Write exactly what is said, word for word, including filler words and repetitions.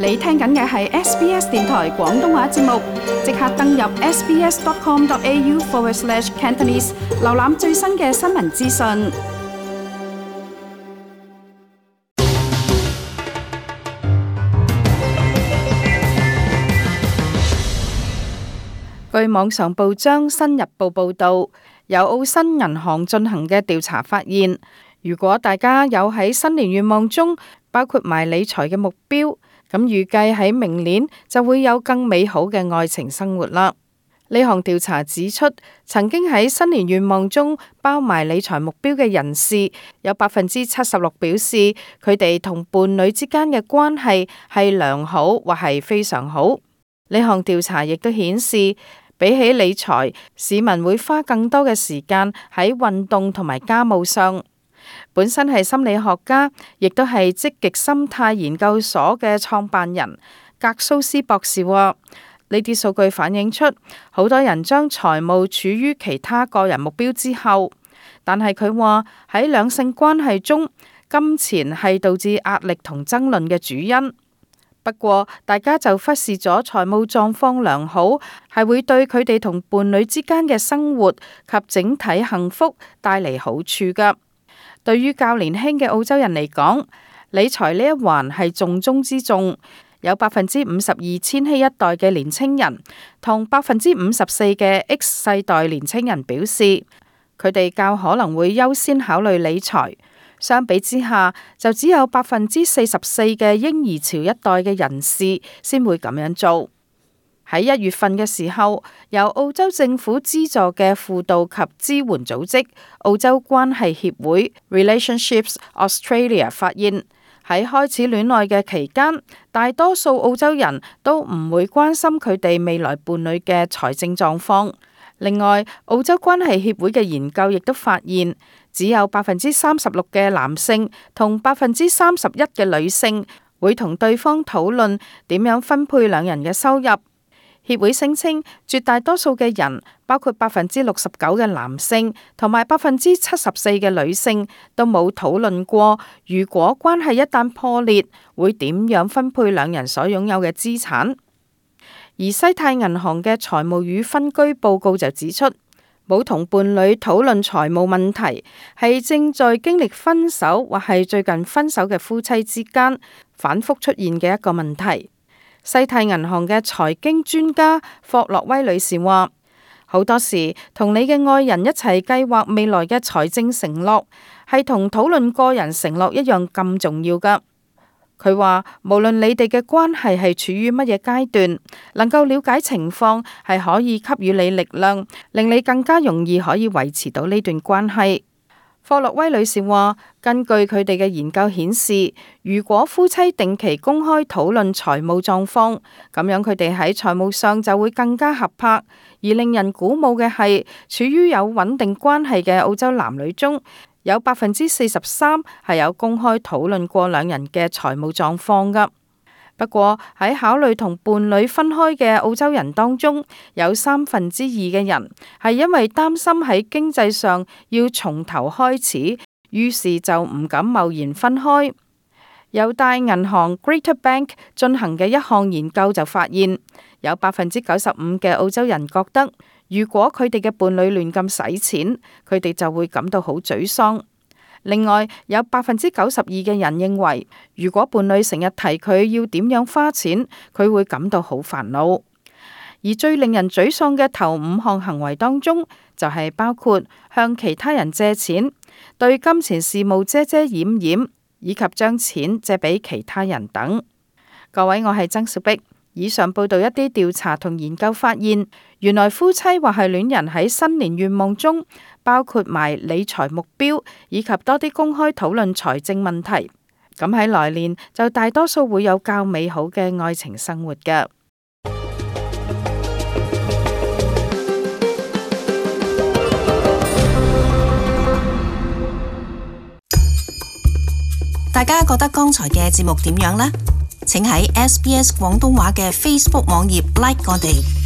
你聽緊嘅係 S B S 電台廣東話節目，即刻登入 sbs.com.au forward slash Cantonese， 瀏覽最新嘅新聞資訊。據網上報章《新日報》報導，由澳新銀行進行嘅調查發現，如果大家有喺新年願望中包括埋理財嘅目標，咁預計喺明年就會有更美好嘅愛情生活啦。呢項調查指出，曾經喺新年願望中包埋理財目標嘅人士，有百分之七十六表示佢哋同伴侶之間嘅關係係良好或係非常好。呢項調查亦都顯示，比起理財，市民會花更多嘅時間喺運動同埋家務上。本身係心理學家，亦都係積極心態研究所嘅創辦人格蘇斯博士話，呢啲數據反映出好多人將財務處於其他個人目標之後，但係佢話喺兩性關係中，金錢係導致壓力同爭論嘅主因。不過大家就忽視咗財務狀況良好係會對佢哋同伴侶之間嘅生活及整體幸福帶嚟好處㗎。對於較年輕嘅澳洲人嚟講，理財呢一環係重中之重。有百分之五十二千禧一代嘅年青人同百分之五十四嘅 X 世代年青人表示，佢哋較可能會優先考慮理財。相比之下，就只有百分之四十四嘅嬰兒潮一代嘅人士先會咁樣做。喺一月份嘅時候，由澳洲政府資助嘅輔導及支援組織澳洲關係協會 Relationships Australia 發現，喺開始戀愛嘅期間，大多數澳洲人都唔會關心佢哋未來伴侶嘅財政狀況。另外，澳洲關係協會嘅研究亦都發現，只有百分之三十六嘅男性同百分之三十一嘅女性會同對方討論點樣分配兩人嘅收入。協會聲稱，絕大多數嘅人，包括百分之六十九嘅男性同埋百分之七十四嘅女性，都冇討論過，如果關係一旦破裂，會點樣分配兩人所擁有嘅資產。而西太銀行嘅財務與分居報告就指出，冇同伴侶討論財務問題，係正在經歷分手或係最近分手嘅夫妻之間反覆出現嘅一個問題。西太銀行嘅財經專家霍洛威女士話，好多時同你嘅愛人一齊計劃未來嘅財政承諾，係同討論個人承諾一樣咁重要㗎。佢話，無論你哋嘅關係係處於乜嘢階段，能夠了解情況係可以給予你力量，令你更加容易可以維持到呢段關係。霍洛威女士話，根據佢哋嘅研究顯示，如果夫妻定期公開討論財務狀況，咁樣佢哋喺財務上就會更加合拍。而令人鼓舞嘅係，處於有穩定關係嘅澳洲男女中，有百分之四十三係有公開討論過兩人嘅財務狀況㗎。不過喺考慮同伴侶分開嘅澳洲人當中，有三分之二嘅人係因為擔心喺經濟上要從頭開始，於是就唔敢貿然分開。由大銀行 Greater Bank 進行嘅一項研究就發現，有百分之九十五嘅澳洲人覺得，如果佢哋嘅伴侶亂咁使錢，佢哋就會感到好沮喪。另外，有百分之九十二嘅人認為，如果伴侶成日提佢要點樣花錢，佢會感到好煩惱。而最令人沮喪嘅頭五項行為當中，就係包括向其他人借錢、對金錢事務遮遮掩掩，以及將錢借俾其他人等。各位，我係曾小碧。以上報道一啲調查同研究發現，原來夫妻或係戀人喺新年願望中包括埋理財目標，以及多啲公開討論財政問題。咁喺來年就大多數會有較美好嘅愛情生活㗎。大家覺得剛才嘅節目點樣呢？請喺 S B S 廣東話嘅 Facebook 網頁 like 我哋。